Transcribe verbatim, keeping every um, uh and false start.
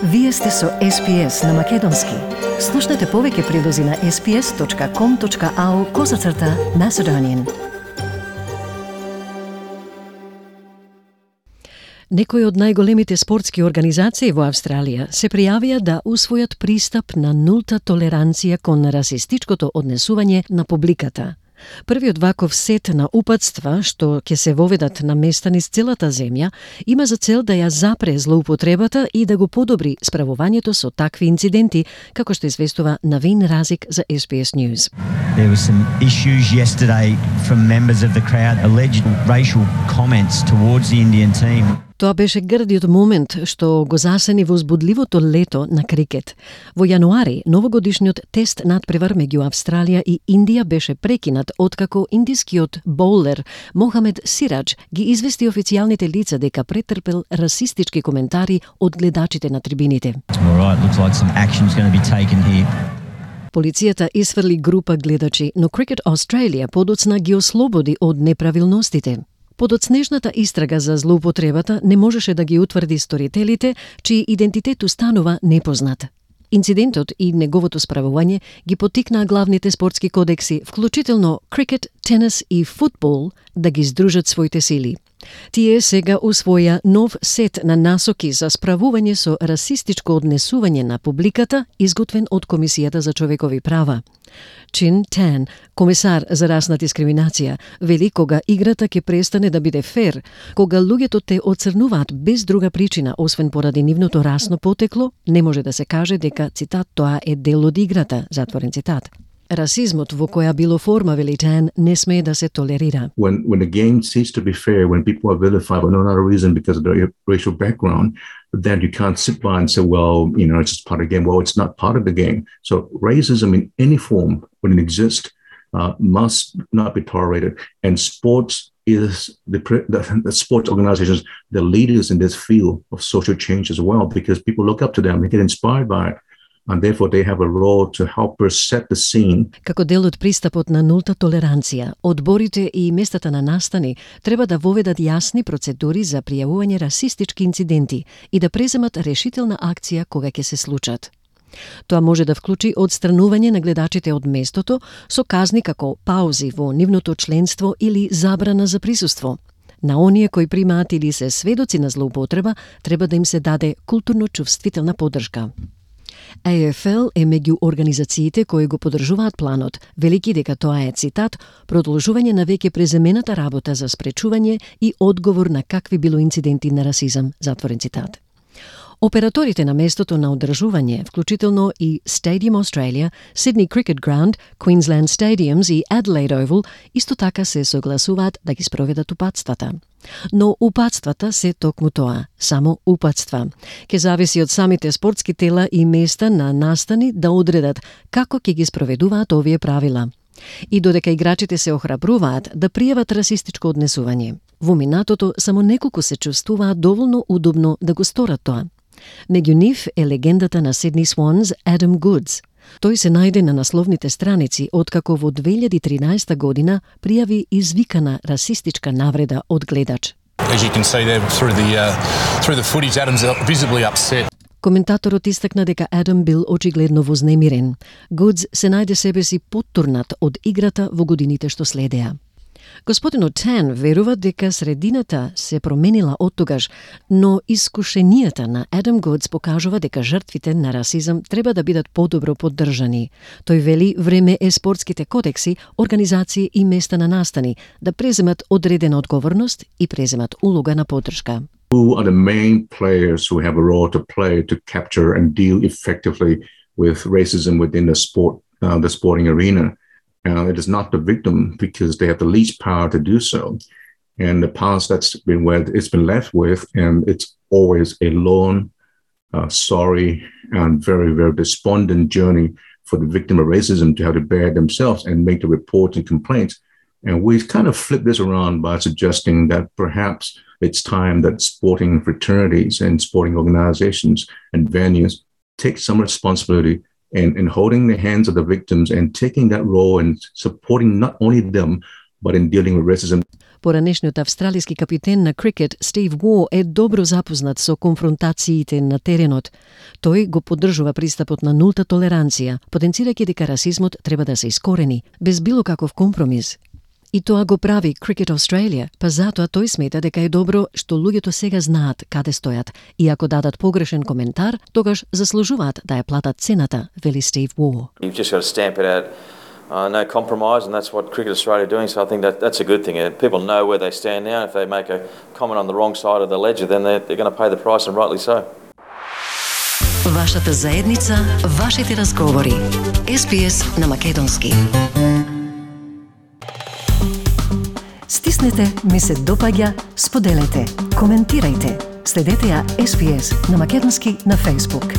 Вие сте со Ес Пи Ес на Македонски. Слушнете повеќе прилози на ес пи ес точка ком точка ау козацрта Macedonian. Некои од најголемите спортски организации во Австралија се пријавија да усвојат пристап на нулта толеранција кон расистичкото однесување на публиката. Првиот ваков сет на упатства, што ќе се воведат на места низ целата земја, има за цел да ја запре злоупотребата и да го подобри справувањето со такви инциденти, како што известува Навин Разик за Ес Би Ес News. There were some issues yesterday from members of the crowd, alleged racial comments towards the Indian team. Тоа беше грдиот момент што го засени возбудливото лето на крикет. Во јануари, новогодишниот тест надпревар меѓу Австралија и Индија беше прекинат откако индискиот боулер Мохамед Сирадж ги извести официјалните лица дека претрпел расистички коментари од гледачите на трибините. Полицијата исфрли група гледачи, но Cricket Australia подоцна ги ослободи од неправилностите. Подоцнежната истрага за злоупотребата не можеше да ги утврди сторителите, чиј идентитет устанува непознат. Инцидентот и неговото справување ги поттикнаа главните спортски кодекси, вклучително крикет, тенис и футбол, да ги здружат своите сили. Тие сега усвоја нов сет на насоки за справување со расистичко однесување на публиката, изготвен од Комисијата за човекови права. Чин Тан, комесар за расна дискриминација, вели кога играта ќе престане да биде фер, кога луѓето те оцрнуваат без друга причина, освен поради нивното расно потекло, не може да се каже дека, цитат, тоа е дел од играта, затворен цитат. Расизмот во која било форма, вели Тан, не смее да се толерира. When when the game ceases to be fair, when people are vilified for no other reason because of their racial background, then you can't sit by and say, well, you know, it's just part of the game. Well, it's not part of the game. So racism in any form, when it exists, uh, must not be tolerated. And sports is the, the, the sports organizations, the leaders in this field of social change as well, because people look up to them, they get inspired by it. And therefore they have a role to help us set the scene. Како дел од пристапот на нулта толеранција, одборите и местата на настани треба да воведат јасни процедури за пријавување расистички инциденти и да преземат решителна акција кога ќе се случат. Тоа може да вклучи одстранување на гледачите од местото со казни како паузи во нивното членство или забрана за присуство. На оние кои примаат или се сведоци на злоупотреба, треба да им се даде културно-чувствителна поддршка. А Еф Ел е меѓу организациите кои го поддржуваат планот, велики дека тоа е, цитат, продолжување на веќе преземената работа за спречување и одговор на какви било инциденти на расизам, затворен цитат. Операторите на местото на одржување, вклучително и Stadium Australia, Sydney Cricket Ground, Queensland Stadiums и Adelaide Oval, исто така се согласуваат да ги спроведат упатствата. Но упатствата се токму тоа, само упатства. Ке зависи од самите спортски тела и места на настани да одредат како ќе ги спроведуваат овие правила. И додека играчите се охрабруваат да пријават расистичко однесување, во минатото само неколку се чувствуваат доволно удобно да го сторат тоа. Меѓу нив е легендата на Sydney Swans Адам Гудс. Тој се најде на насловните страници откако во две илјади и тринаесета година пријави извикана расистичка навреда од гледач. As you can see there through the uh, through the footage, Adam's visibly upset. Коментаторот истакна дека Адам бил очигледно вознемирен. Гудс се најде себе си поттурнат од играта во годините што следеа. Господинот Тан верува дека средината се променила оттогаш, но искушенијата на Адам Гудс покажува дека жртвите на расизам треба да бидат подобро поддржани. Тој вели време е спортските кодекси, организации и места на настани да преземат одредена одговорност и преземат улога на поддршка. Who are the main players who have a role to play to capture and deal effectively with racism within the sport, uh, the sporting arena? Uh, it is not the victim because they have the least power to do so. And the past, that's been where it's been left with, and it's always a lone, uh, sorry, and very, very despondent journey for the victim of racism to have to bear themselves and make the reports and complaints. And we kind of flip this around by suggesting that perhaps it's time that sporting fraternities and sporting organizations and venues take some responsibility in, in holding the hands of the victims and taking that role and supporting not only them, but in dealing with racism. Поранешниот австралиски капитен на крикет Стив Уо е добро запознат со конфронтациите на теренот. Тој го поддржува пристапот на нулта толеранција, потенцирајќи дека расизмот треба да се искорени, без било каков компромис. И тоа го прави Cricket Australia, па затоа тој смета дека е добро што луѓето сега знаат каде стојат и ако дадат погрешен коментар, тогаш заслужуваат да ја платат цената, вели Стив Уо. You've just got to stamp it out. Uh, no compromise, and that's what Cricket Australia are doing, so I think that that's a good thing. Uh, people know where they stand now. If they make a comment on the wrong side of the ledger, then they're, they're going to pay the price, and rightly so. Вашата заедница, вашите разговори. Ес Би Ес на македонски. Стиснете, ми се допаѓа, споделете, коментирајте. Следете ја Ес Би Ес на македонски на Facebook.